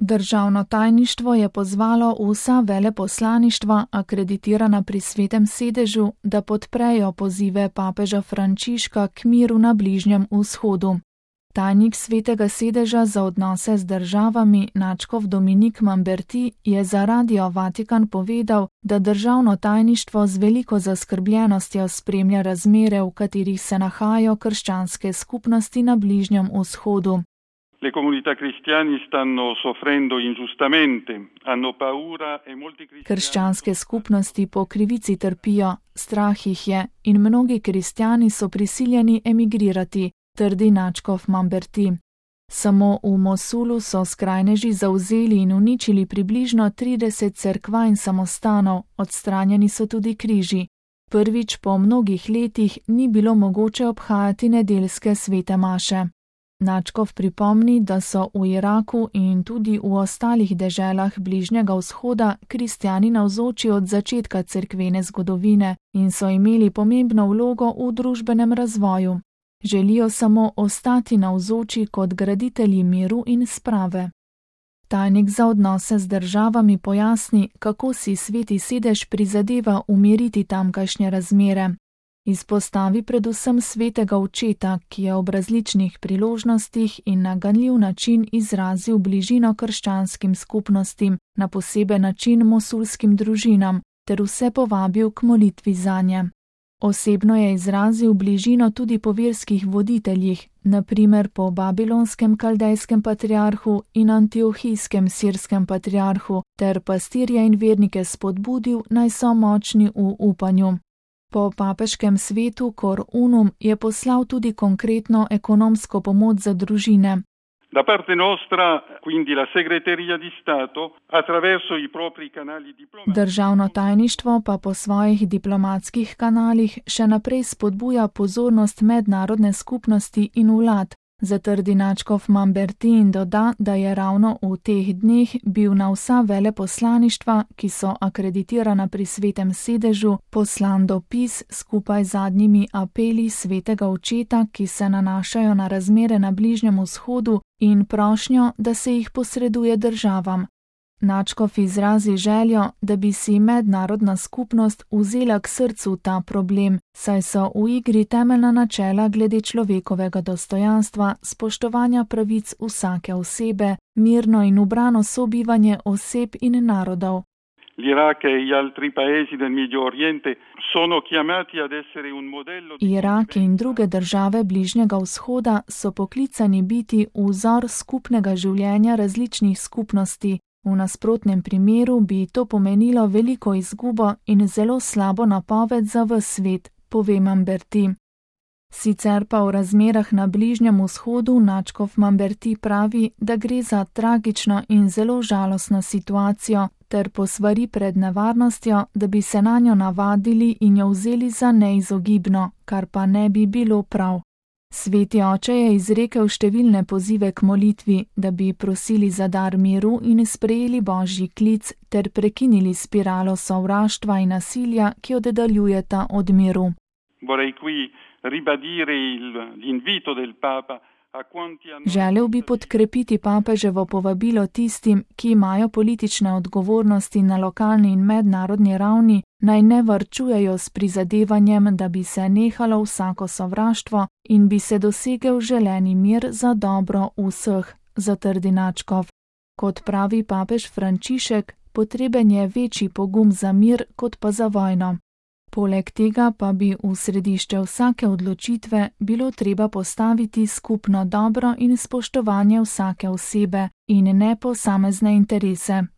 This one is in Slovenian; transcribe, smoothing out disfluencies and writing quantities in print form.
Državno tajništvo je pozvalo vsa veleposlaništva, akreditirana pri Svetem sedežu, da podprejo pozive papeža Frančiška k miru na Bližnjem vzhodu. Tajnik Svetega sedeža za odnose z državami nadškof Dominik Mamberti je za Radio Vatikan povedal, da državno tajništvo z veliko zaskrbljenostjo spremlja razmere, v katerih se nahajajo krščanske skupnosti na Bližnjem vzhodu. Le comunità cristiane stanno soffrendo ingiustamente, hanno paura e molti cristiani. Krščanske skupnosti po krivici trpijo, strah jih je in mnogi kristjani so prisiljeni emigrirati, trdi nadškof Mamberti. Samo v Mosulu so skrajneži zavzeli in uničili približno 30 cerkva in samostanov, odstranjeni so tudi križi. Prvič po mnogih letih ni bilo mogoče obhajati nedeljske svete maše. Nadškof pripomni, da so v Iraku in tudi v ostalih deželah Bližnjega vzhoda kristjani navzoči od začetka cerkvene zgodovine in so imeli pomembno vlogo v družbenem razvoju. Želijo samo ostati navzoči kot graditelji miru in sprave. Tajnik za odnose z državami pojasni, kako si Sveti sedež prizadeva umiriti tamkajšnje razmere. Izpostavi predvsem Svetega očeta, ki je ob različnih priložnostih in na ganljiv način izrazil bližino krščanskim skupnostim, na poseben način mosulskim družinam, ter vse povabil k molitvi zanje. Osebno je izrazil bližino tudi po verskih voditeljih, na primer po babilonskem kaldejskem patriarhu in antiohijskem sirskem patriarhu, ter pastirje in vernike spodbudil, naj so močni v upanju. Po papeškem svetu Cor Unum je poslal tudi konkretno ekonomsko pomoč za družine. Da parte nostra, quindi la segreteria di Stato, attraverso i propri canali diplomatici. Državno tajništvo pa po svojih diplomatskih kanalih še naprej spodbuja pozornost mednarodne skupnosti in vlad, zatrdi nadškof Mamberti in doda, da je ravno v teh dneh bil na vsa veleposlaništva, ki so akreditirana pri Svetem sedežu, poslan dopis skupaj z zadnjimi apeli Svetega očeta, ki se nanašajo na razmere na Bližnjem vzhodu in prošnjo, da se jih posreduje državam. Nadškof izrazi željo, da bi si mednarodna skupnost vzela k srcu ta problem, saj so v igri temeljna načela glede človekovega dostojanstva, spoštovanja pravic vsake osebe, mirno in ubrano sobivanje oseb in narodov. L'Iraq e gli altri paesi del Medio Oriente sono chiamati ad essere un modello di Irak in druge države Bližnjega vzhoda so poklicani biti vzor skupnega življenja različnih skupnosti. V nasprotnem primeru bi to pomenilo veliko izgubo in zelo slabo napoved za ves svet, pove Mamberti. Sicer pa v razmerah na Bližnjem vzhodu nadškof Mamberti pravi, da gre za tragično in zelo žalostno situacijo, ter posvari pred nevarnostjo, da bi se nanjo navadili in jo vzeli za neizogibno, kar pa ne bi bilo prav. Sveti oče je izrekel številne pozive k molitvi, da bi prosili za dar miru in sprejeli božji klic ter prekinili spiralo sovraštva in nasilja, ki oddaljujeta od miru. Vorrei qui ribadire l'invito del Papa. Želel bi podkrepiti papeževo povabilo tistim, ki imajo politične odgovornosti na lokalni in mednarodni ravni, naj ne varčujejo s prizadevanjem, da bi se nehalo vsako sovraštvo in bi se dosegel želeni mir za dobro vseh, zatrdi nadškof. Kot pravi papež Frančišek, potreben je večji pogum za mir kot pa za vojno. Poleg tega pa bi v središče vsake odločitve bilo treba postaviti skupno dobro in spoštovanje vsake osebe in ne posamezne interese.